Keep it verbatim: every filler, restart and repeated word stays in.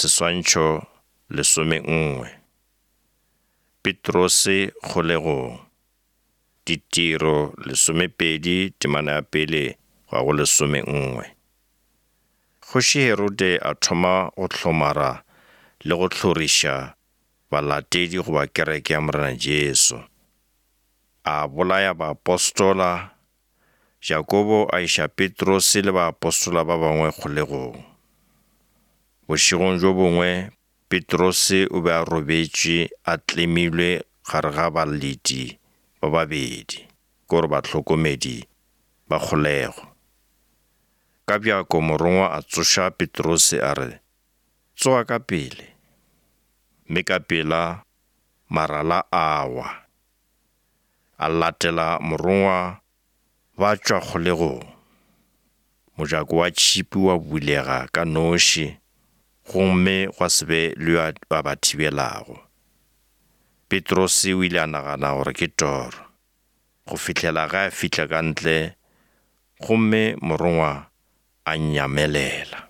Seswantšho lesomenngwe. Petrose kgolegong. Ditiro lesomepedi temana ya pele go ya go lesomenngwe. Kgoši Herode a thoma go hlomara le go hloriša balatedi goba kereke ya Morena Jesu. A bolaya baapostola, Jakobo a iša Petrose le baapostola ba bangwe kgolegong. Bošegong bjo bongwe Petrose o be a robetše a tlemilwe gare ga baleti ba babedi, ke gore bahlokomedi ba kgolego. Ka bjako morongwa a tsoša Petrose a re, tsoga ka pele. Mme ka pela marala a wa. A latela morongwa ba tšwa kgolegong. Mojako wa tšhipi wa bulega ka noši, gomme gwa se be le yo a ba thibelago. Petrose o ile a nagana gore ke toro, go fihlela ge a fihla ka ntle gomme morongwa a nyamelela.